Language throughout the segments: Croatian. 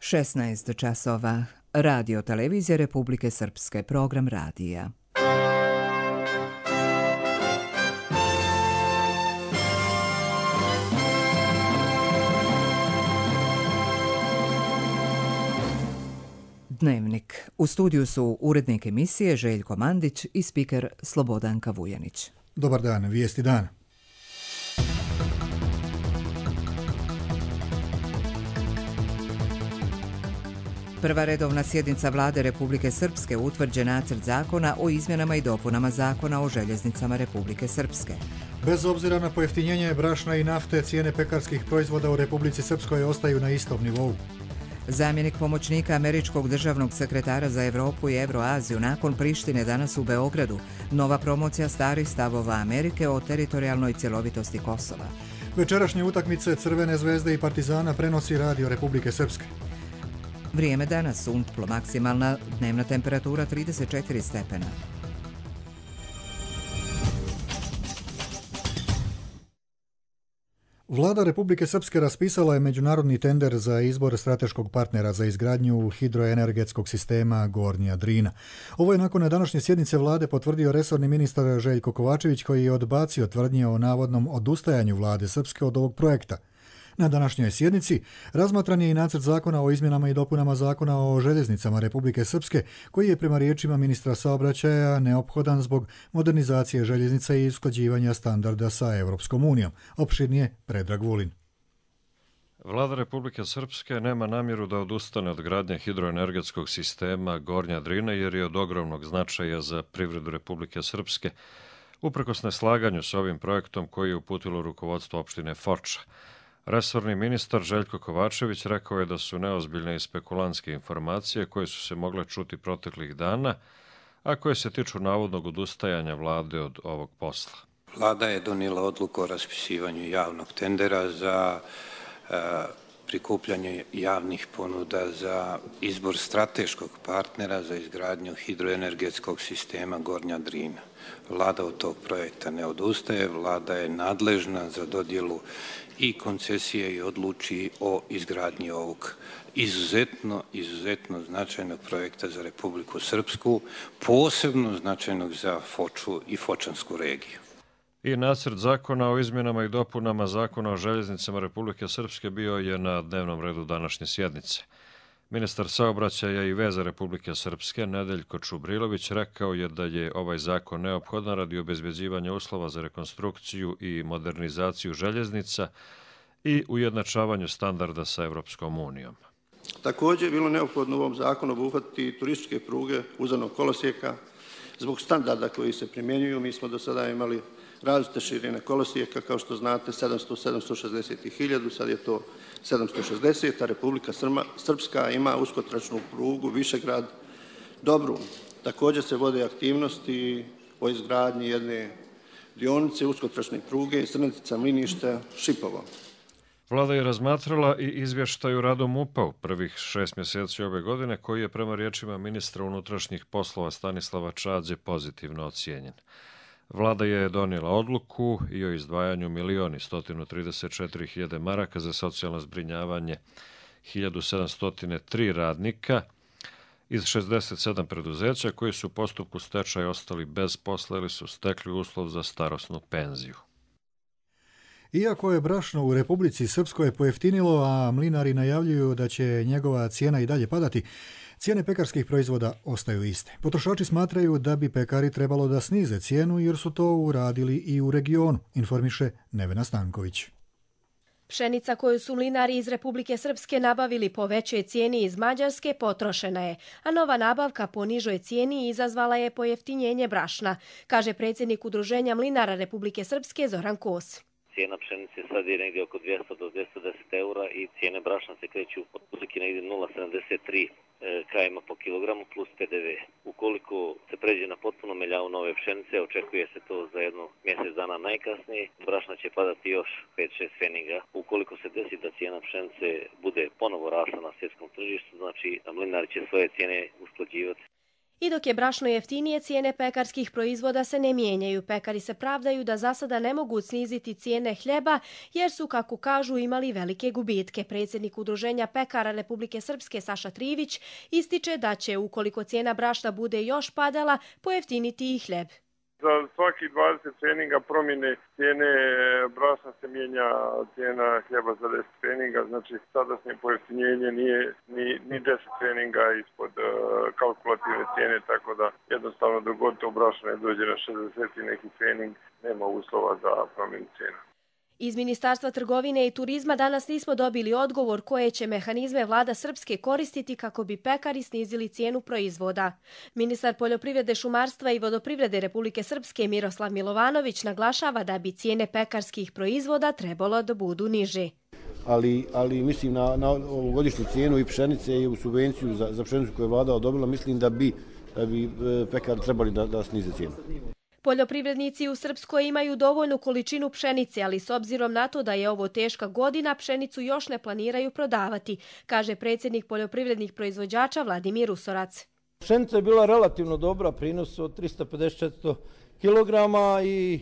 16 časova. Radio televizija Republike Srpske, program radija. Dnevnik. U studiju su urednik emisije Željko Mandić i spiker Slobodanka Vujanić. Dobar dan, vijesti dana. Prva redovna sjednica Vlade Republike Srpske utvrđen nacrt zakona o izmjenama i dopunama zakona o željeznicama Republike Srpske. Bez obzira na pojeftinjenje brašna i nafte, cijene pekarskih proizvoda u Republici Srpskoj ostaju na istom nivou. Zamjenik pomoćnika američkog državnog sekretara za Europu i Euroaziju nakon Prištine danas u Beogradu. Nova promocija starih stavova Amerike o teritorijalnoj cjelovitosti Kosova. Večerašnje utakmice Crvene zvezde i Partizana prenosi Radio Republike Srpske. Vrijeme danas sumplo, maksimalna dnevna temperatura 34 stepena. Vlada Republike Srpske raspisala je međunarodni tender za izbor strateškog partnera za izgradnju hidroenergetskog sistema Gornja Drina. Ovo je nakon današnje sjednice vlade potvrdio resorni ministar Željko Kovačević, koji je odbacio tvrdnje o navodnom odustajanju vlade Srpske od ovog projekta. Na današnjoj sjednici razmatran je i nacrt zakona o izmjenama i dopunama zakona o željeznicama Republike Srpske, koji je prema riječima ministra saobraćaja neophodan zbog modernizacije željeznica i usklađivanja standarda sa Europskom unijom. Opširnije Predrag Vulin. Vlada Republike Srpske nema namjeru da odustane od gradnje hidroenergetskog sistema Gornja Drina jer je od ogromnog značaja za privredu Republike Srpske, uprkos neslaganju s ovim projektom koji je uputilo rukovodstvo opštine Foča. Resorni ministar Željko Kovačević rekao je da su neozbiljne i spekulantske informacije koje su se mogle čuti proteklih dana, a koje se tiču navodnog odustajanja vlade od ovog posla. Vlada je donijela odluku o raspisivanju javnog tendera za prikupljanje javnih ponuda za izbor strateškog partnera za izgradnju hidroenergetskog sistema Gornja Drina. Vlada od tog projekta ne odustaje, vlada je nadležna za dodjelu i koncesije i odluči o izgradnji ovog izuzetno značajnog projekta za Republiku Srpsku, posebno značajnog za Foču i Fočansku regiju. I nacrt zakona o izmjenama i dopunama zakona o željeznicama Republike Srpske bio je na dnevnom redu današnje sjednice. Ministar saobraćaja i veza Republike Srpske Nedeljko Čubrilović rekao je da je ovaj zakon neophodan radi obezbeđivanja uslova za rekonstrukciju i modernizaciju željeznica i ujednačavanju standarda sa Europskom unijom. Također je bilo neophodno u ovom zakonu obuhvatiti turističke pruge uzanog kolosijeka. Zbog standarda koji se primjenjuju, mi smo do sada imali različite širine kolosijeka, kao što znate 700, 760 i 1000, sad je to 760, a Republika Srpska ima uskotračnu prugu Višegrad Dobrun. Također se vode aktivnosti o izgradnji jedne dionice uskotračne pruge Srnetica-Mlinište Šipovo. Vlada je razmatrala i izvještaj o radu MUP-a u prvih 6 mjeseci ove godine, koji je prema riječima ministra unutrašnjih poslova Stanislava Čađe pozitivno ocijenjen. Vlada je donijela odluku i o izdvajanju 1.134.000 maraka za socijalno zbrinjavanje 1703 radnika iz 67 preduzeća koji su u postupku stečaja ostali bez posla ili su stekli uslov za starosnu penziju. Iako je brašno u Republici Srpskoj pojeftinilo, a mlinari najavljuju da će njegova cijena i dalje padati, cijene pekarskih proizvoda ostaju iste. Potrošači smatraju da bi pekari trebalo da snize cijenu jer su to uradili i u regionu, informiše Nevena Stanković. Pšenica koju su mlinari iz Republike Srpske nabavili po većoj cijeni iz Mađarske potrošena je, a nova nabavka po nižoj cijeni izazvala je pojeftinjenje brašna, kaže predsjednik Udruženja mlinara Republike Srpske Zoran Kos. Cijena pšenice sad je negdje oko 200 do 210 eura i cijene brašna se kreću otprilike negdje 0,73 km po kilogramu plus PDV. Ukoliko se pređe na potpuno meljavu nove pšenice, očekuje se to za jedno mjesec dana najkasnije, brašna će padati još 5-6 pfeniga. Ukoliko se desi da cijena pšenice bude ponovo rasla na svjetskom tržištu, znači mlinari će svoje cijene usklađivati. I dok je brašno jeftinije, cijene pekarskih proizvoda se ne mijenjaju. Pekari se pravdaju da za sada ne mogu sniziti cijene hljeba jer su, kako kažu, imali velike gubitke. Predsjednik Udruženja pekara Republike Srpske Saša Trivić ističe da će, ukoliko cijena brašna bude još padala, pojeftiniti i hljeb. Za svaki 20 pfeninga promjene cijene brašna se mijenja cijena hljeba za 10 pfeninga, znači sadašnje pojeftinjenje nije ni 10 pfeninga ispod kalkulativne cijene, tako da jednostavno dok god to brašno ne dođe na 60 i neki pfening, nema uslova za promjenu cijena. Iz Ministarstva trgovine i turizma danas nismo dobili odgovor koje će mehanizme vlada Srpske koristiti kako bi pekari snizili cijenu proizvoda. Ministar poljoprivrede, šumarstva i vodoprivrede Republike Srpske Miroslav Milovanović naglašava da bi cijene pekarskih proizvoda trebalo da budu niže. Ali mislim na ovogodišnju cijenu i pšenice i u subvenciju za pšenicu koju je vlada odobrila, mislim da bi pekari trebali da snize cijenu. Poljoprivrednici u Srpskoj imaju dovoljnu količinu pšenice, ali s obzirom na to da je ovo teška godina, pšenicu još ne planiraju prodavati, kaže predsjednik poljoprivrednih proizvođača Vladimir Usorac. Pšenica je bila relativno dobra, prinos od 350-400 kg i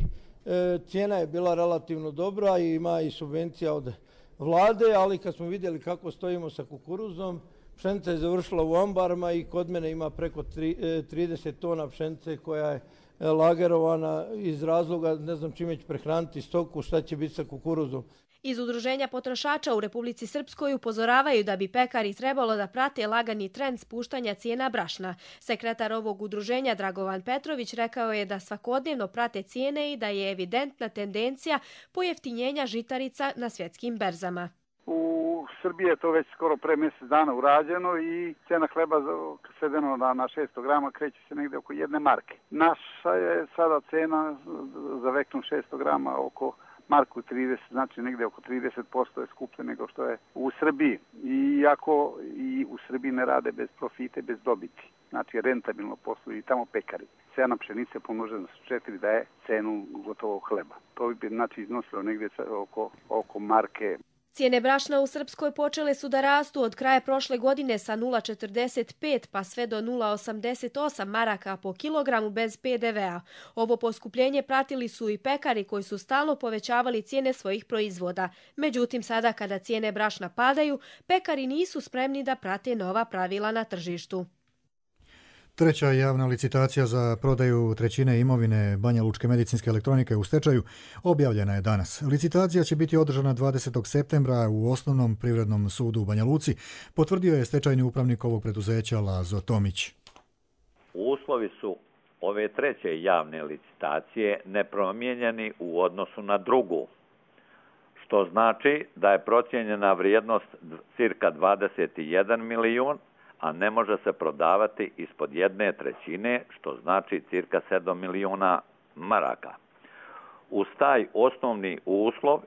cijena je bila relativno dobra i ima i subvencija od vlade, ali kad smo vidjeli kako stojimo sa kukuruzom, pšenica je završila u ambarima i kod mene ima preko 30 tona pšenice koja je lagerovana iz razloga, ne znam čime će prehraniti stoku, šta će biti sa kukuruzom. Iz Udruženja potrošača u Republici Srpskoj upozoravaju da bi pekari trebalo da prate lagani trend spuštanja cijena brašna. Sekretar ovog udruženja Dragovan Petrović rekao je da svakodnevno prate cijene i da je evidentna tendencija pojeftinjenja žitarica na svjetskim berzama. U Srbiji je to već skoro pre mjesec dana urađeno i cena hleba svedeno na 600 grama kreće se negdje oko 1 marke. Naša je sada cena za vektum 600 grama oko marku 30, znači negdje oko 30% je skuplje nego što je u Srbiji. Iako i u Srbiji ne rade bez profite, bez dobiti. Znači rentabilno posluju i tamo pekari. Cena pšenice pomnožena sa 4 daje cenu gotovog hleba. To bi znači iznosilo negdje oko marke. Cijene brašna u Srpskoj počele su da rastu od kraja prošle godine sa 0,45 pa sve do 0,88 maraka po kilogramu bez PDV-a. Ovo poskupljenje pratili su i pekari koji su stalno povećavali cijene svojih proizvoda. Međutim, sada kada cijene brašna padaju, pekari nisu spremni da prate nova pravila na tržištu. Treća javna licitacija za prodaju trećine imovine Banja Lučke medicinske elektronike u stečaju objavljena je danas. Licitacija će biti održana 20. septembra u Osnovnom privrednom sudu u Banja Luci, potvrdio je stečajni upravnik ovog preduzeća Lazo Tomić. Uslovi su ove treće javne licitacije nepromijenjeni u odnosu na drugu, što znači da je procijenjena vrijednost cirka 21 milijun, a ne može se prodavati ispod 1/3, što znači cirka 7 milijuna maraka. Uz taj osnovni uslov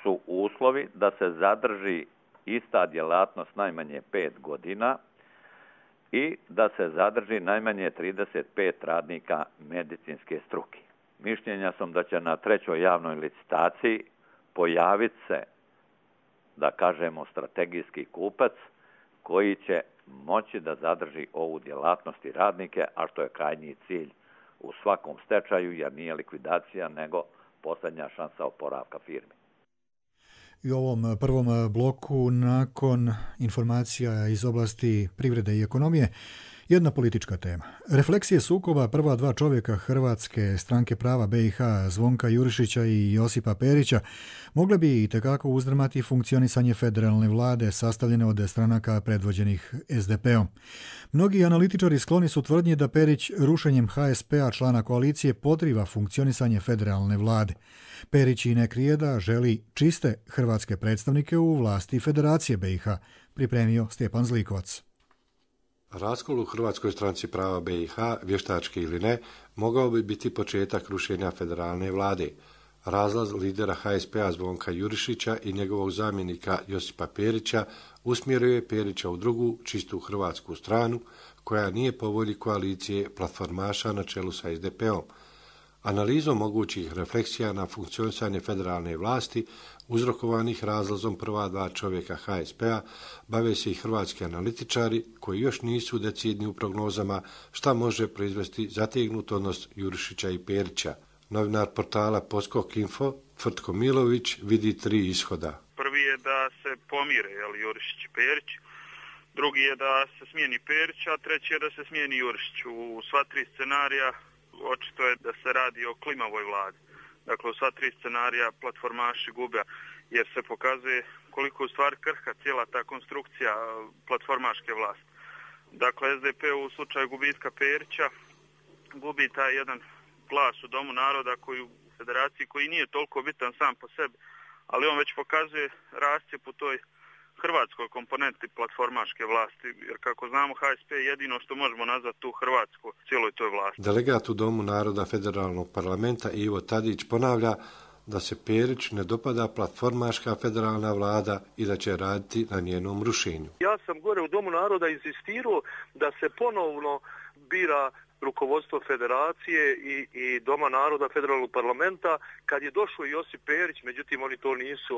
su uslovi da se zadrži ista djelatnost najmanje 5 godina i da se zadrži najmanje 35 radnika medicinske struke. Mišljenja sam da će na trećoj javnoj licitaciji pojaviti se, da kažemo, strategijski kupac koji će moći da zadrži ovu djelatnost i radnike, a što je krajnji cilj u svakom stečaju, jer nije likvidacija, nego posljednja šansa oporavka firme. I u ovom prvom bloku, nakon informacija iz oblasti privrede i ekonomije, jedna politička tema. Refleksije sukoba prva dva čovjeka Hrvatske stranke prava BiH, Zvonka Jurišića i Josipa Perića, mogle bi itekako uzdrmati funkcionisanje federalne vlade sastavljene od stranaka predvođenih SDP-om. Mnogi analitičari skloni su tvrdnji da Perić rušenjem HSP-a, člana koalicije, podriva funkcionisanje federalne vlade. Perić i ne krije da želi čiste hrvatske predstavnike u vlasti Federacije BiH, pripremio Stjepan Zlikovac. Raskol u Hrvatskoj stranci prava BiH, vještački ili ne, mogao bi biti početak rušenja federalne vlade. Razlaz lidera HSP-a Zvonka Jurišića i njegovog zamjenika Josipa Perića usmjerio je Perića u drugu, čistu hrvatsku stranu, koja nije po volji koalicije platformaša na čelu sa SDP-om. Analizom mogućih refleksija na funkcionisanje federalne vlasti, uzrokovanih razlazom prva dva čovjeka HSP-a, bave se i hrvatski analitičari koji još nisu decidni u prognozama šta može proizvesti zategnut odnos Jurišića i Perića. Novinar portala Poskok Info, Tvrtko Milović, vidi 3 ishoda. Prvi je da se pomire Jurišić i Perić, drugi je da se smijeni Perić, a treći je da se smijeni Jurišić. U sva 3 scenarija očito je da se radi o klimavoj vladi. Dakle, u sva 3 scenarija platformaši gube, jer se pokazuje koliko u stvari krhka cijela ta konstrukcija platformaške vlasti. Dakle, SDP u slučaju gubitka Perića gubi taj jedan glas u Domu naroda koji u federaciji koji nije toliko bitan sam po sebi, ali on već pokazuje rascjep u toj hrvatskoj komponenti platformaške vlasti, jer kako znamo HSP je jedino što možemo nazvati tu Hrvatsku cijeloj toj vlasti. Delegat u Domu naroda federalnog parlamenta Ivo Tadić ponavlja da se Perić ne dopada platformaška federalna vlada i da će raditi na njenom rušenju. Ja sam gore u Domu naroda insistirao da se ponovno bira rukovodstvo federacije i Doma naroda federalnog parlamenta kad je došao Josip Perić, međutim oni to nisu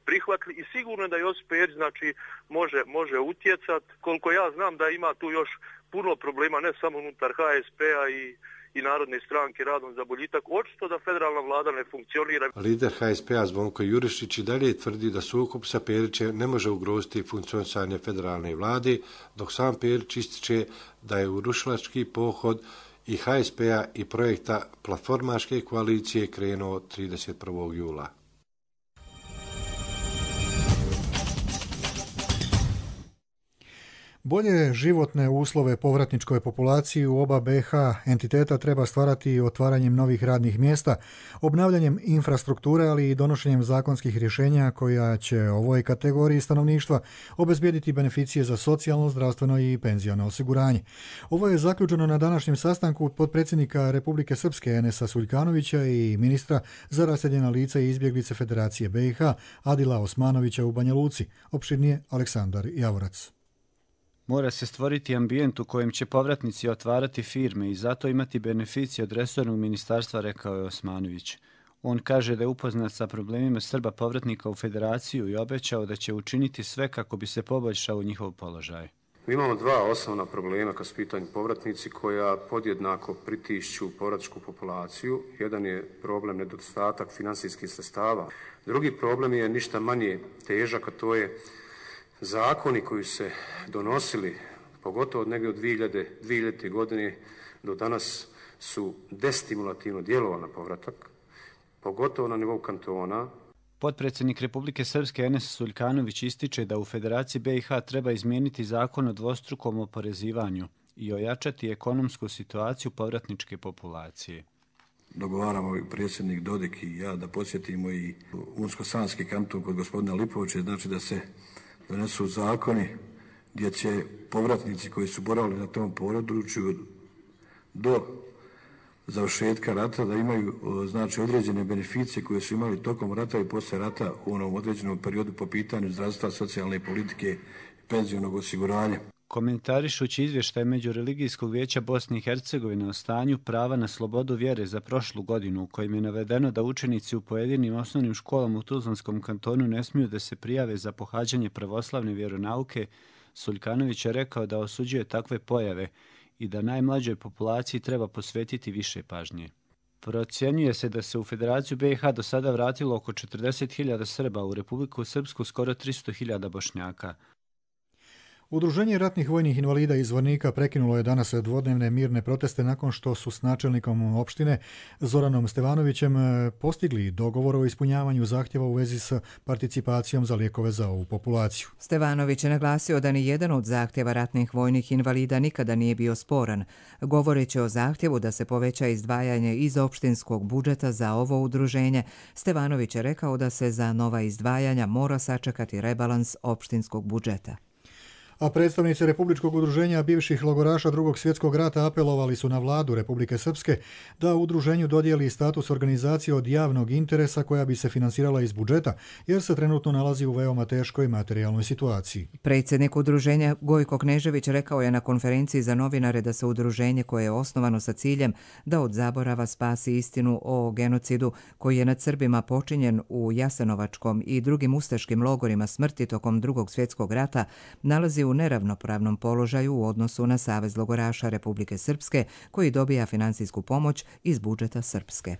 prihvatili i sigurno da Josip Perić može utjecati. Koliko ja znam da ima tu još puno problema ne samo unutar HSP-a i Narodne stranke radom za boljitak, očito da federalna vlada ne funkcionira. Lider HSP-a Zvonko Jurišić i dalje tvrdi da sukob sa Perićem ne može ugroziti funkcionisanje federalne vlade, dok sam Perić ističe da je urušilački pohod i HSP-a i projekta platformaške koalicije krenuo 31. jula. Bolje životne uslove povratničkoj populaciji u oba BiH entiteta treba stvarati otvaranjem novih radnih mjesta, obnavljanjem infrastrukture, ali i donošenjem zakonskih rješenja koja će ovoj kategoriji stanovništva obezbijediti beneficije za socijalno, zdravstveno i penziono osiguranje. Ovo je zaključeno na današnjem sastanku potpredsjednika Republike Srpske Enesa Suljkanovića i ministra za raseljena lica i izbjeglice Federacije BiH Adila Osmanovića u Banja Luci. Opširnije Aleksandar Javorac. Mora se stvoriti ambijent u kojem će povratnici otvarati firme i zato imati beneficije od resornog ministarstva, rekao je Osmanović. On kaže da je upoznat sa problemima Srba povratnika u Federaciju i obećao da će učiniti sve kako bi se poboljšao njihov položaj. Mi imamo 2 osnovna problema kad su pitanju povratnici koja podjednako pritišću povratničku populaciju. Jedan je problem nedostatak finansijskih sredstava. Drugi problem je ništa manje težak, a to je zakoni koji se donosili, pogotovo od negdje od 2000. godine do danas, su destimulativno djelovali na povratak, pogotovo na nivou kantona. Potpredsjednik Republike Srpske Enes Suljkanović ističe da u Federaciji BiH treba izmijeniti zakon o dvostrukom oporezivanju i ojačati ekonomsku situaciju povratničke populacije. Dogovaramo predsjednik Dodik i ja da posjetimo i Unsko-Sanski kanton kod gospodina Lipovića, znači da se donesu zakoni gdje će povratnici koji su boravili na tom području do završetka rata da imaju znači određene beneficije koje su imali tokom rata i poslije rata u onom određenom periodu po pitanju zdravstva, socijalne politike i penzionog osiguranja. Komentarišući izvještaj Međureligijskog vijeća Bosne i Hercegovine o stanju prava na slobodu vjere za prošlu godinu, u kojim je navedeno da učenici u pojedinim osnovnim školama u Tuzlanskom kantonu ne smiju da se prijave za pohađanje pravoslavne vjeronauke, Suljkanović je rekao da osuđuje takve pojave i da najmlađoj populaciji treba posvetiti više pažnje. Procjenjuje se da se u Federaciju BiH do sada vratilo oko 40.000 Srba, u Republiku Srpsku skoro 300.000 Bošnjaka. Udruženje ratnih vojnih invalida iz Zvornika prekinulo je danas dvodnevne mirne proteste nakon što su s načelnikom opštine Zoranom Stevanovićem postigli dogovor o ispunjavanju zahtjeva u vezi s participacijom za lijekove za ovu populaciju. Stevanović je naglasio da ni jedan od zahtjeva ratnih vojnih invalida nikada nije bio sporan. Govoreći o zahtjevu da se poveća izdvajanje iz opštinskog budžeta za ovo udruženje, Stevanović je rekao da se za nova izdvajanja mora sačekati rebalans opštinskog budžeta. A predstavnici Republičkog udruženja bivših logoraša Drugog svjetskog rata apelovali su na vladu Republike Srpske da udruženju dodijeli status organizacije od javnog interesa koja bi se finansirala iz budžeta, jer se trenutno nalazi u veoma teškoj materijalnoj situaciji. Predsjednik udruženja Gojko Knežević rekao je na konferenciji za novinare da se udruženje koje je osnovano sa ciljem da od zaborava spasi istinu o genocidu koji je nad Srbima počinjen u Jasenovačkom i drugim ustaškim logorima smrti tokom Drugog svjetskog rata nalazi u neravnopravnom položaju u odnosu na Savez logoraša Republike Srpske koji dobija finansijsku pomoć iz budžeta Srpske.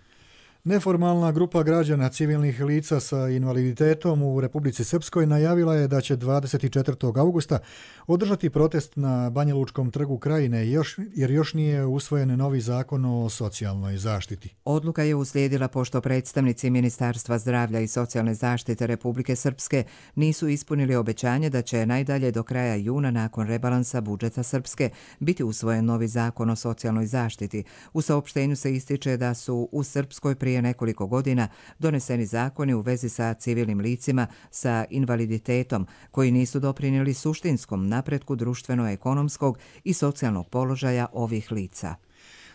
Neformalna grupa građana civilnih lica sa invaliditetom u Republici Srpskoj najavila je da će 24. augusta održati protest na Banjalučkom trgu Krajine jer još nije usvojen novi zakon o socijalnoj zaštiti. Odluka je uslijedila pošto predstavnici Ministarstva zdravlja i socijalne zaštite Republike Srpske nisu ispunili obećanje da će najdalje do kraja juna nakon rebalansa budžeta Srpske biti usvojen novi zakon o socijalnoj zaštiti. U saopštenju se ističe da su u Srpskoj prije nekoliko godina doneseni zakoni u vezi sa civilnim licima sa invaliditetom koji nisu doprinijeli suštinskom napretku društveno-ekonomskog i socijalnog položaja ovih lica.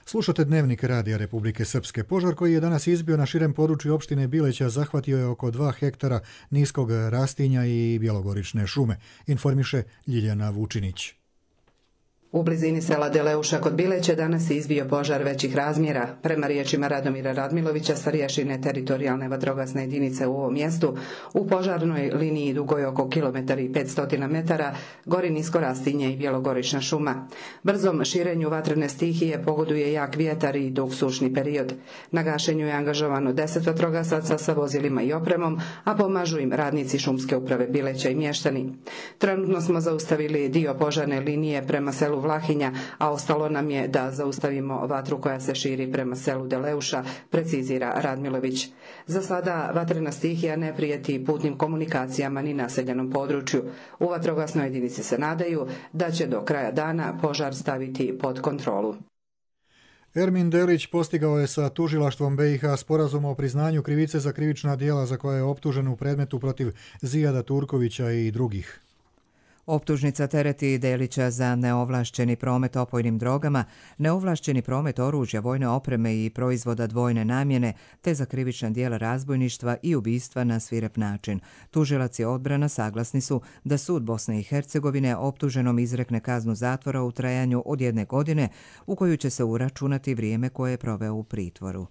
Slušate Dnevnik Radija Republike Srpske. Požar koji je danas izbio na širem području opštine Bileća zahvatio je oko 2 hektara niskog rastinja i bjelogorične šume, informiše Ljiljana Vučinić. U blizini sela Deleuša kod Bileće danas je izbio požar većih razmjera. Prema riječima Radomira Radmilovića, starješine teritorijalne vatrogasne jedinice u ovom mjestu, u požarnoj liniji dugoj oko kilometar i 500 metara gori nisko rastinje i bjelogorična šuma. Brzom širenju vatrene stihije pogoduje jak vjetar i dug sušni period. Na gašenju je angažovano 10 vatrogasaca sa vozilima i opremom, a pomažu im radnici šumske uprave Bileća i mještani. Trenutno smo zaustavili dio požarne linije prema selu Vlahinja, a ostalo nam je da zaustavimo vatru koja se širi prema selu Deleuša, precizira Radmilović. Za sada vatrena stihija ne prijeti putnim komunikacijama ni naseljenom području. U vatrogasnoj jedinici se nadaju da će do kraja dana požar staviti pod kontrolu. Ermin Delić postigao je sa tužilaštvom BiH sporazum o priznanju krivice za krivična djela za koje je optužen u predmetu protiv Zijada Turkovića i drugih. Optužnica tereti Delića za neovlašćeni promet opojnim drogama, neovlašćeni promet oružja, vojne opreme i proizvoda dvojne namjene, te za krivična djela razbojništva i ubistva na svirep način. Tužilac i odbrana saglasni su da sud Bosne i Hercegovine optuženom izrekne kaznu zatvora u trajanju od 1 godine, u koju će se uračunati vrijeme koje je proveo u pritvoru.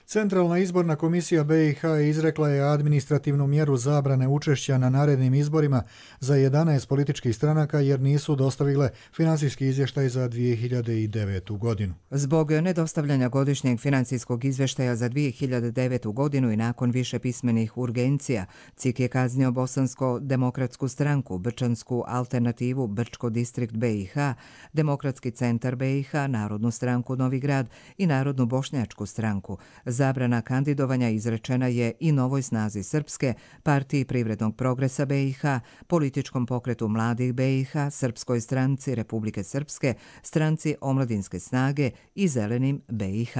Centralna izborna komisija BiH izrekla je administrativnu mjeru zabrane učešća na narednim izborima za 11 političkih stranaka jer nisu dostavile finansijski izvještaj za 2009. godinu. Zbog nedostavljanja godišnjeg financijskog izvještaja za 2009. godinu i nakon više pismenih urgencija, CIK je kaznio Bosansko-demokratsku stranku, Brčansku alternativu Brčko distrikt BiH, Demokratski centar BiH, Narodnu stranku Novi Grad i Narodnu bošnjačku stranku. Zabrana kandidovanja izrečena je i Novoj snazi Srpske, Partiji privrednog progresa BiH, Političkom pokretu mladih BiH, Srpskoj stranci Republike Srpske, Stranci omladinske snage i Zelenim BiH.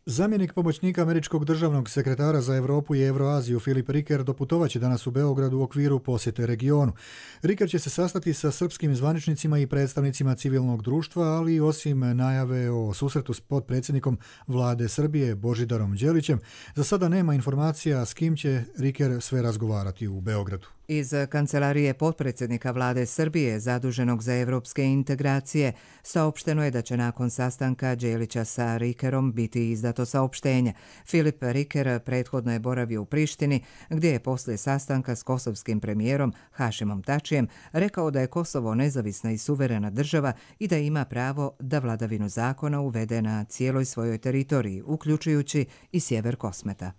Zamjenik pomoćnika američkog državnog sekretara za Europu i Euroaziju Filip Riker doputovaće danas u Beogradu u okviru posjete regionu. Riker će se sastati sa srpskim zvaničnicima i predstavnicima civilnog društva, ali osim najave o susretu s potpredsjednikom vlade Srbije Božidarom Đelićem, za sada nema informacija s kim će Riker sve razgovarati u Beogradu. Iz kancelarije potpredsjednika vlade Srbije zaduženog za evropske integracije saopšteno je da će nakon sastanka Đelića sa Rikerom biti izdato saopštenje. Filip Riker prethodno je boravio u Prištini, gdje je poslije sastanka s kosovskim premijerom Hašimom Tačijem rekao da je Kosovo nezavisna i suverena država i da ima pravo da vladavinu zakona uvede na cijeloj svojoj teritoriji, uključujući i sjever Kosmeta.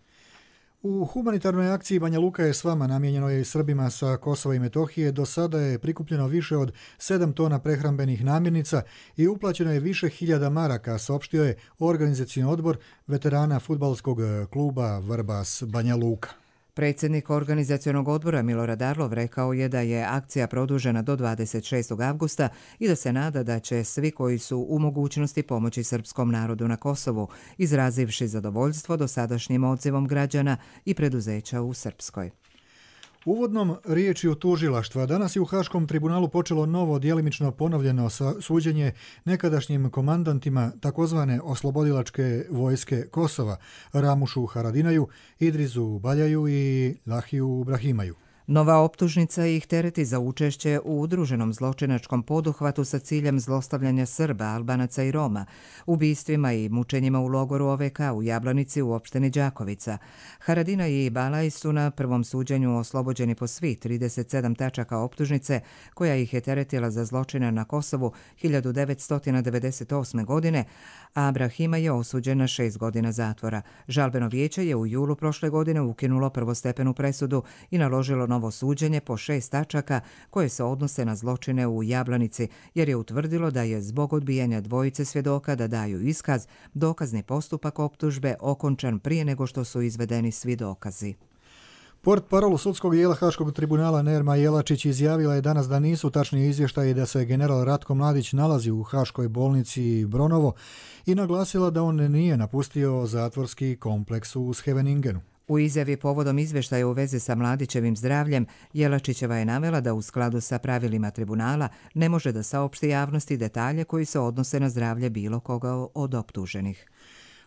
U humanitarnoj akciji Banja Luka je s vama namijenjenoj Srbima sa Kosova i Metohije do sada je prikupljeno više od 7 tona prehrambenih namirnica i uplaćeno je više hiljada maraka, saopštio je organizacioni odbor veterana fudbalskog kluba Vrbas Banja Luka. Predsjednik organizacionog odbora Milorad Arlov rekao je da je akcija produžena do 26. avgusta i da se nada da će svi koji su u mogućnosti pomoći srpskom narodu na Kosovu, izrazivši zadovoljstvo dosadašnjim odzivom građana i preduzeća u Srpskoj. Uvodnom riječju tužilaštva danas je u Haškom tribunalu počelo novo djelimično ponovljeno suđenje nekadašnjim komandantima takozvane oslobodilačke vojske Kosova, Ramušu Haradinaju, Idrizu Baljaju i Lahiju Brahimaju. Nova optužnica ih tereti za učešće u udruženom zločinačkom poduhvatu sa ciljem zlostavljanja Srba, Albanaca i Roma, ubistvima i mučenjima u logoru OVK u Jablanici u opštini Đakovica. Haradina i Balaj su na prvom suđenju oslobođeni po svih 37 tačaka optužnice koja ih je teretila za zločine na Kosovu 1998. godine, a Brahima je osuđen na 6 godina zatvora. Žalbeno vijeće je u julu prošle godine ukinulo prvostepenu presudu i naložilo novo suđenje po 6 tačaka koje se odnose na zločine u Jablanici, jer je utvrdilo da je zbog odbijanja dvojice svjedoka da daju iskaz, dokazni postupak optužbe okončan prije nego što su izvedeni svi dokazi. Portparol sudskog dijela Haškog tribunala Nerma Jelačić izjavila je danas da nisu tačni izvještaji da se general Ratko Mladić nalazi u Haškoj bolnici Bronovo i naglasila da on nije napustio zatvorski kompleks u Scheveningenu. U izjavi povodom izvještaja u vezi sa Mladićevim zdravljem, Jelačićeva je navela da u skladu sa pravilima tribunala ne može da saopšti javnosti detalje koji se odnose na zdravlje bilo koga od optuženih.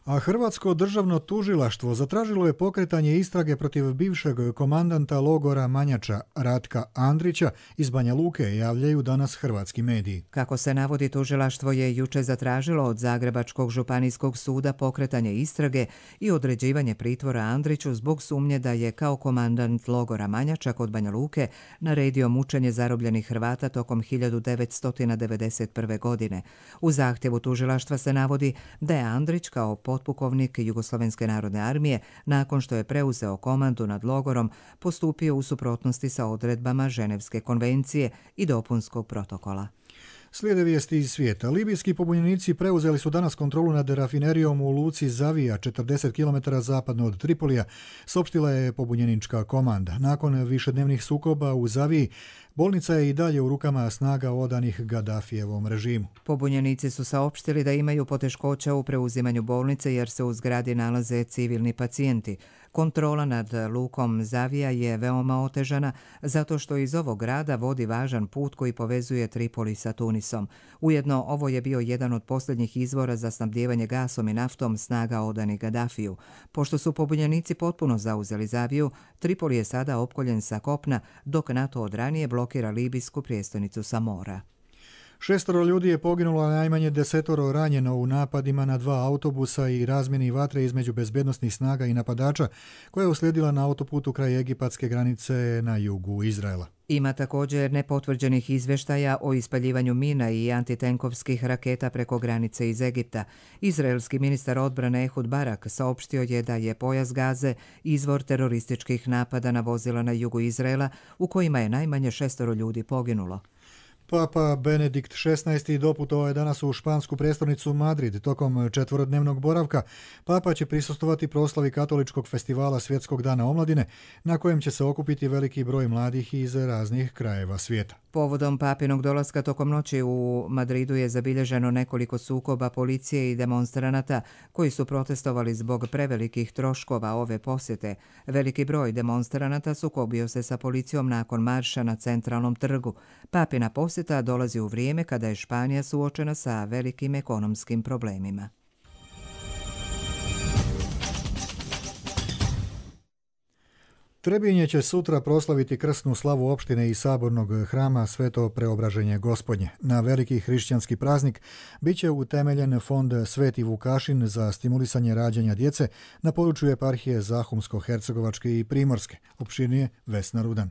A Hrvatsko državno tužilaštvo zatražilo je pokretanje istrage protiv bivšeg komandanta logora Manjača Ratka Andrića iz Banja Luke, javljaju danas hrvatski mediji. Kako se navodi, tužilaštvo je juče zatražilo od Zagrebačkog županijskog suda pokretanje istrage i određivanje pritvora Andriću zbog sumnje da je kao komandant logora Manjača kod Banja Luke naredio mučenje zarobljenih Hrvata tokom 1991. godine. U zahtjevu tužilaštva se navodi da je Andrić kao potpukovnik Jugoslovenske narodne armije, nakon što je preuzeo komandu nad logorom, postupio u suprotnosti sa odredbama Ženevske konvencije i dopunskog protokola. Slijede vijesti iz svijeta. Libijski pobunjenici preuzeli su danas kontrolu nad rafinerijom u luci Zavija, 40 km zapadno od Tripolija, saopštila je pobunjenička komanda. Nakon višednevnih sukoba u Zaviji, bolnica je i dalje u rukama snaga odanih Gaddafijevom režimu. Pobunjenici su saopštili da imaju poteškoća u preuzimanju bolnice jer se u zgradi nalaze civilni pacijenti. Kontrola nad lukom Zavija je veoma otežana zato što iz ovog grada vodi važan put koji povezuje Tripoli sa Tunisom. Ujedno, ovo je bio jedan od posljednjih izvora za snabdijevanje gasom i naftom snaga odanih Gaddafiju. Pošto su pobunjenici potpuno zauzeli Zaviju, Tripoli je sada opkoljen sa kopna, dok NATO od ranije blokira libijsku prijestolnicu sa mora. 6 ljudi je poginulo, a najmanje 10 ranjeno u napadima na 2 autobusa i razmjeni vatre između bezbednosnih snaga i napadača koja je uslijedila na autoputu kraj egipatske granice na jugu Izraela. Ima također nepotvrđenih izvještaja o ispaljivanju mina i antitenkovskih raketa preko granice iz Egipta. Izraelski ministar odbrane Ehud Barak saopštio je da je pojas Gaze izvor terorističkih napada na vozila na jugu Izraela u kojima je najmanje 6 ljudi poginulo. Papa Benedikt XVI. Doputovao je danas u špansku prestolnicu Madrid. Tokom 4-dnevnog boravka Papa će prisustvovati proslavi katoličkog festivala Svjetskog dana omladine, na kojem će se okupiti veliki broj mladih iz raznih krajeva svijeta. Povodom papinog dolaska tokom noći u Madridu je zabilježeno nekoliko sukoba policije i demonstranata koji su protestovali zbog prevelikih troškova ove posjete. Veliki broj demonstranata sukobio se sa policijom nakon marša na centralnom trgu. Papina posjeta dolazi u vrijeme kada je Španija suočena sa velikim ekonomskim problemima. Trebinje će sutra proslaviti krsnu slavu opštine i sabornog hrama Sveto Preobraženje Gospodnje. Na veliki hrišćanski praznik biće utemeljen fond Sveti Vukašin za stimulisanje rađanja djece na području eparhije Zahumsko-Hercegovačke i Primorske. Opširnije Vesna Rudan.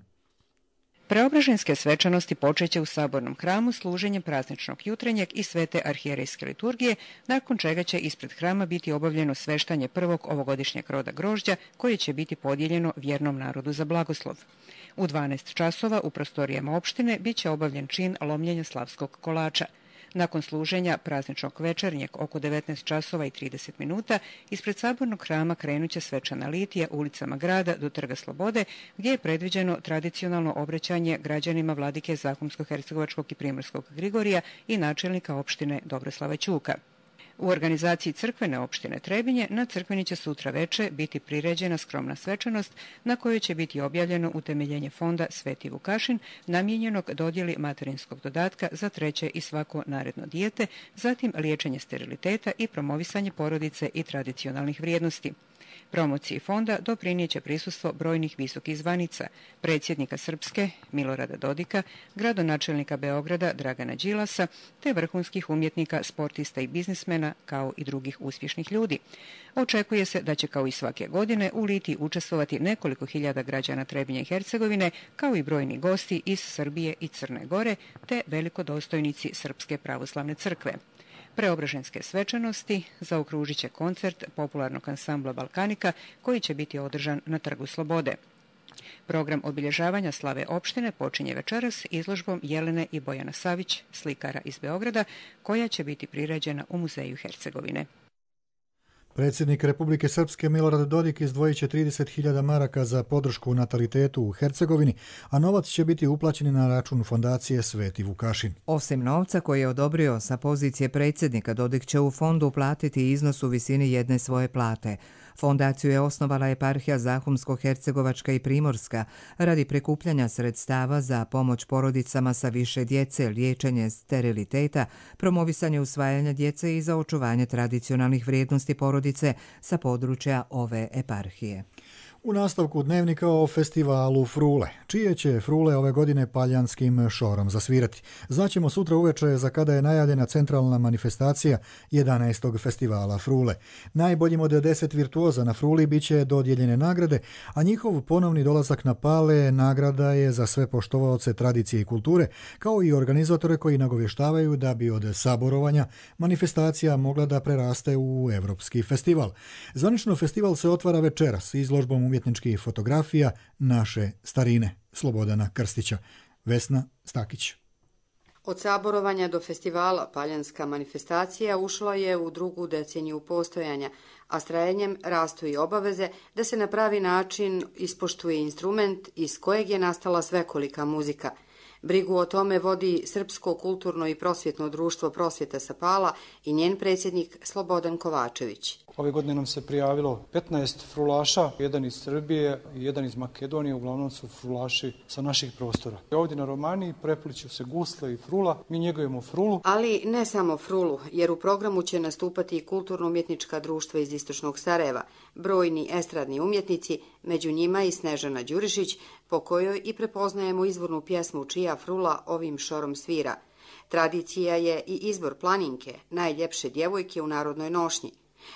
Preobraženske svečanosti počeće u sabornom hramu služenjem prazničnog jutrenjeg i svete arhijerejske liturgije, nakon čega će ispred hrama biti obavljeno sveštanje prvog ovogodišnjeg roda grožđa koje će biti podijeljeno vjernom narodu za blagoslov. U 12 časova u prostorijama opštine biće obavljen čin lomljenja slavskog kolača. Nakon služenja prazničnog večernjeg oko 19 časova i 30 minuta ispred sabornog hrama krenuće svečana litija ulicama grada do Trga Slobode, gdje je predviđeno tradicionalno obraćanje građanima vladike Zahumsko-hercegovačkog i Primorskog Grigorija i načelnika opštine Dobroslava Ćuka. U organizaciji crkvene opštine Trebinje na crkveni će sutra veče biti priređena skromna svečanost na kojoj će biti objavljeno utemeljenje fonda Sveti Vukašin namijenjenog dodjeli materinskog dodatka za treće i svako naredno dijete, zatim liječenje steriliteta i promovisanje porodice i tradicionalnih vrijednosti. Promociji fonda doprinijeće prisustvo brojnih visokih zvanica, predsjednika Srpske Milorada Dodika, gradonačelnika Beograda Dragana Đilasa, te vrhunskih umjetnika, sportista i biznismena, kao i drugih uspješnih ljudi. Očekuje se da će kao i svake godine u litiji učestvovati nekoliko hiljada građana Trebinja i Hercegovine, kao i brojni gosti iz Srbije i Crne Gore, te velikodostojnici Srpske pravoslavne crkve. Preobraženske svečanosti zaokružit će koncert popularnog ansambla Balkanika koji će biti održan na Trgu Slobode. Program obilježavanja slave opštine počinje večeras izložbom Jelene i Bojana Savić, slikara iz Beograda, koja će biti priređena u Muzeju Hercegovine. Predsjednik Republike Srpske Milorad Dodik izdvojit će 30.000 maraka za podršku natalitetu u Hercegovini, a novac će biti uplaćen na račun fondacije Sveti Vukašin. Osim novca koji je odobrio sa pozicije predsjednika, Dodik će u fondu uplatiti iznos u visini jedne svoje plate. Fondaciju je osnovala eparhija Zahumsko-hercegovačka i Primorska radi prikupljanja sredstava za pomoć porodicama sa više djece, liječenje steriliteta, promovisanje usvajanja djece i za očuvanje tradicionalnih vrijednosti porodice sa područja ove eparhije. U nastavku dnevnika o festivalu Frule. Čije će Frule ove godine paljanskim šorom zasvirati? Znaćemo sutra uveče za kada je najavljena centralna manifestacija 11. festivala Frule. Najboljim od 10 virtuoza na Fruli bit će dodijeljene nagrade, a njihov ponovni dolazak na Pale nagrada je za sve poštovaoce tradicije i kulture, kao i organizatore koji nagovještavaju da bi od saborovanja manifestacija mogla da preraste u evropski festival. Zvanično festival se otvara večeras izložbom umjetničkih fotografija naše starine. Slobodana Krstića. Vesna Stakić. Od saborovanja do festivala paljanska manifestacija ušla je u drugu deceniju postojanja, a s trajanjem rastu i obaveze da se na pravi način ispoštuje instrument iz kojeg je nastala svekolika muzika. Brigu o tome vodi Srpsko kulturno i prosvjetno društvo Prosvjeta sa Pala i njen predsjednik Slobodan Kovačević. Ove godine nam se prijavilo 15 frulaša, jedan iz Srbije i jedan iz Makedonije, uglavnom su frulaši sa naših prostora. Ovdje na Romaniji prepliću se gusle i frula, mi njegujemo frulu. Ali ne samo frulu, jer u programu će nastupati i kulturno-umjetnička društva iz Istočnog Sarajeva, brojni estradni umjetnici, među njima i Snežana Đurišić, po kojoj i prepoznajemo izvornu pjesmu čija frula ovim šorom svira. Tradicija je i izbor planinke, najljepše djevojke u narodnoj nošnji.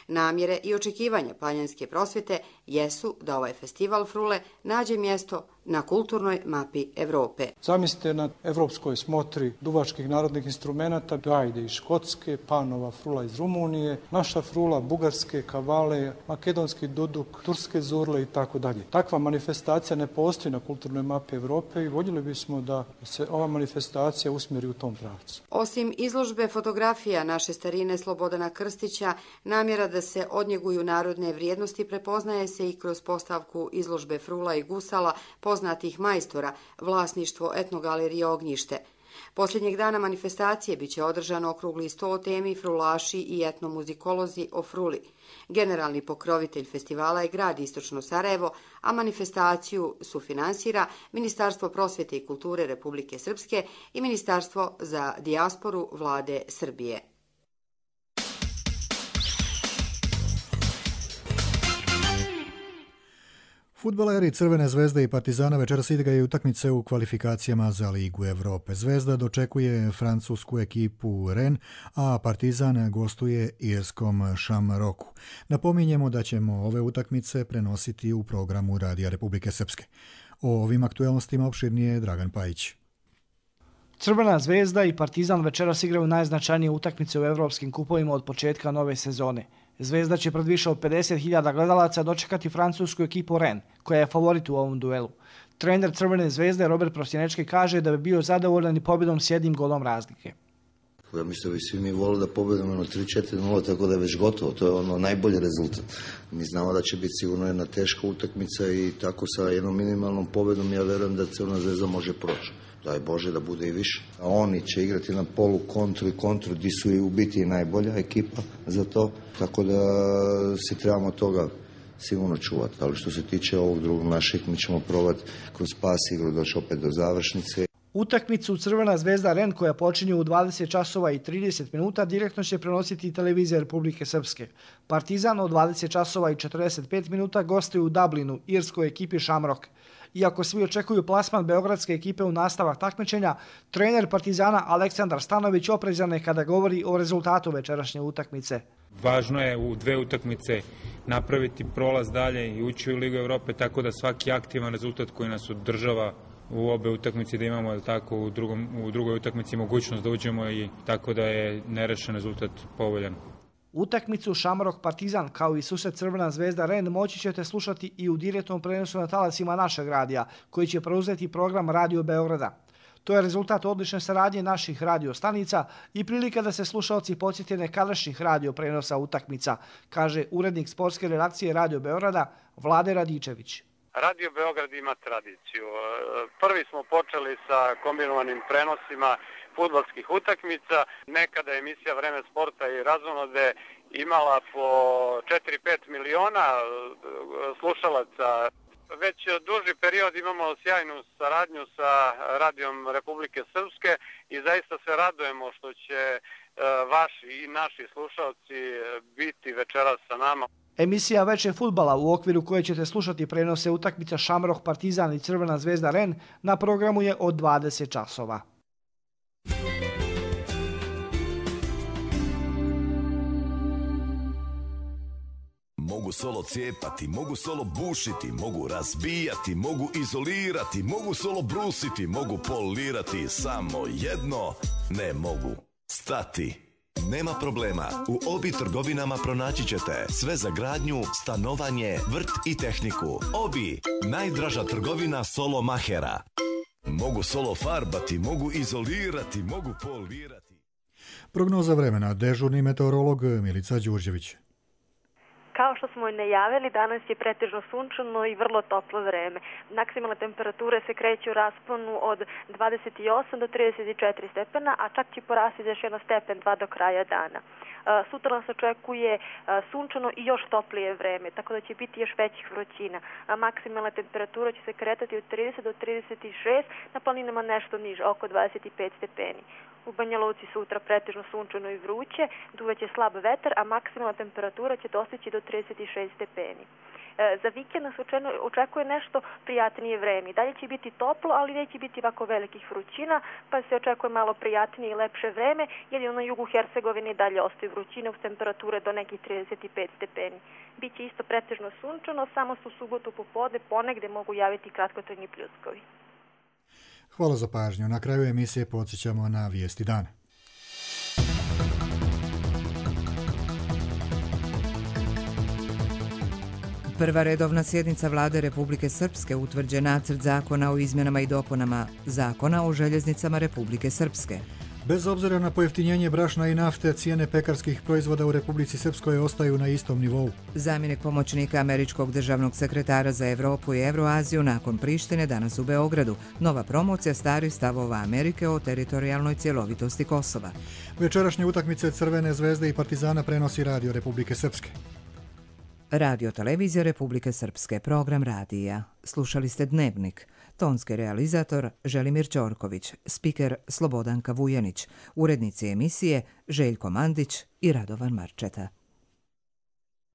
Namjere i očekivanja paljanske prosvjete jesu da ovaj festival Frule nađe mjesto na kulturnoj mapi Evrope. Zamislite na evropskoj smotri duvačkih narodnih instrumenata, gajde iz Škotske, panova frula iz Rumunije, naša frula bugarske, kavale, makedonski duduk, turske zurle i tako dalje. Takva manifestacija ne postoji na kulturnoj mapi Evrope i voljeli bismo da se ova manifestacija usmjeri u tom pravcu. Osim izložbe fotografija naše starine Slobodana Krstića, namjera da se odnjeguju narodne vrijednosti prepoznaje se i kroz postavku izložbe frula i gusala poznatih majstora, vlasništvo etnogalerije Ognjište. Posljednjeg dana manifestacije biće održano okrugli sto o temi frulaši i etnomuzikolozi o fruli. Generalni pokrovitelj festivala je grad Istočno Sarajevo, a manifestaciju sufinansira Ministarstvo prosvjete i kulture Republike Srpske i Ministarstvo za dijasporu Vlade Srbije. Fudbaleri Crvene zvezde i Partizana večeras igraju utakmice u kvalifikacijama za Ligu Evrope. Zvezda dočekuje francusku ekipu Rennes, a Partizan gostuje irskom Šamroku. Napominjemo da ćemo ove utakmice prenositi u programu Radija Republike Srpske. O ovim aktualnostima opširnije Dragan Pajić. Crvena zvezda i Partizan večeras igraju najznačajnije utakmice u evropskim kupovima od početka nove sezone. Zvezda će pred više od 50.000 gledalaca dočekati francusku ekipu Rennes, koja je favorit u ovom duelu. Trener Crvene zvezde Robert Prostjenečki kaže da bi bio zadovoljan i pobjedom s jednim golom razlike. Ja mislim da bi svi mi volili da pobedimo na 3-4-0, tako da je već gotovo. To je ono najbolji rezultat. Mi znamo da će biti sigurno jedna teška utakmica i tako sa jednom minimalnom pobedom ja verujem da Crvena Zvezda može proći. Daj Bože da bude i više. A oni će igrati na polu kontru i kontru gdje su i u biti najbolja ekipa za to. Tako da se trebamo toga sigurno čuvati. Ali što se tiče ovog drugog naših, mi ćemo probati kroz pas igru doći opet do završnice. Utakmicu Crvena Zvezda Ren koja počinje u 20 časova i 30 minuta direktno će prenositi televizija Republike Srpske. Partizan od 20 časova i 45 minuta gostuje u Dublinu, irskoj ekipi Shamrock. Iako svi očekuju plasman beogradske ekipe u nastavak takmičenja, trener Partizana Aleksandar Stanović oprezan je kada govori o rezultatu večerašnje utakmice. Važno je u dve utakmice napraviti prolaz dalje i ući u Ligu Evrope, tako da svaki aktivan rezultat koji nas održava u obe utakmice da imamo tako u drugoj utakmici mogućnost da uđemo i tako da je nerešen rezultat povoljan. Utakmicu Shamrock Partizan kao i susret Crvena Zvezda Ren moći ćete slušati i u direktnom prenosu na talasima našeg radija, koji će preuzeti program Radio Beograda. To je rezultat odlične saradnje naših radio stanica i prilika da se slušalci podsjete nekadašnjih radio prenosa utakmica, kaže urednik sportske redakcije Radio Beograda Vlade Radičević. Radio Beograd ima tradiciju. Prvi smo počeli sa kombinovanim prenosima fudbalskih utakmica. Nekada je emisija Vreme sporta i razonode imala po 4-5 miliona slušalaca. Već duži period imamo sjajnu saradnju sa Radijom Republike Srpske i zaista se radujemo što će vaši i naši slušalci biti večeras sa nama. Emisija Veče fudbala u okviru koje ćete slušati prenose utakmica Shamrock Partizan i Crvena Zvezda Ren na programu je od 20 časova. Mogu solo cijepati, mogu solo bušiti, mogu razbijati, mogu izolirati, mogu solo brusiti, mogu polirati, samo jedno ne mogu stati. Nema problema, u Obi trgovinama pronaći ćete sve za gradnju, stanovanje, vrt i tehniku. Obi, najdraža trgovina solo mahera. Mogu solo farbati, mogu izolirati, mogu polirati. Prognoza vremena, dežurni meteorolog Milica Đurđević. Kao što smo i najavili, danas je pretežno sunčano i vrlo toplo vreme. Maksimalne temperature se kreću u rasponu od 28 do 34 stepena, a čak će porasti za još 1 stepen 2 do kraja dana. Sutra nas očekuje sunčano i još toplije vreme, tako da će biti još većih vrućina. Maksimalna temperatura će se kretati od 30 do 36, na planinama nešto niže, oko 25 stepeni. U Banja Luci sutra pretežno sunčano i vruće, duvaće slab vetar, a maksimalna temperatura će dostići do 36 stepeni. Za vikend nas očekuje nešto prijatnije vreme. Dalje će biti toplo, ali neće biti ovako velikih vrućina, pa se očekuje malo prijatnije i lepše vreme, jer je na jugu Hercegovine dalje ostaju vrućine uz temperature do nekih 35 stepeni. Biće isto pretežno sunčano, samo su subotu popodne ponegde mogu javiti kratkotrajni pljuskovi. Hvala za pažnju. Na kraju emisije podsjećamo na vijesti dana. Prva redovna sjednica Vlade Republike Srpske utvrđuje nacrt zakona o izmjenama i dopunama Zakona o željeznicama Republike Srpske. Bez obzira na pojeftinjenje brašna i nafte, cijene pekarskih proizvoda u Republici Srpskoj ostaju na istom nivou. Zamjenik pomoćnika američkog državnog sekretara za Evropu i Evroaziju nakon Prištine danas u Beogradu. Nova promocija starih stavova Amerike o teritorijalnoj cjelovitosti Kosova. Večerašnje utakmice Crvene zvezde i Partizana prenosi Radio Republike Srpske. Radio Televizija Republike Srpske, program radija. Slušali ste Dnevnik. Tonski realizator Želimir Ćorković, spiker Slobodanka Vujanić, urednici emisije Željko Mandić i Radovan Marčeta.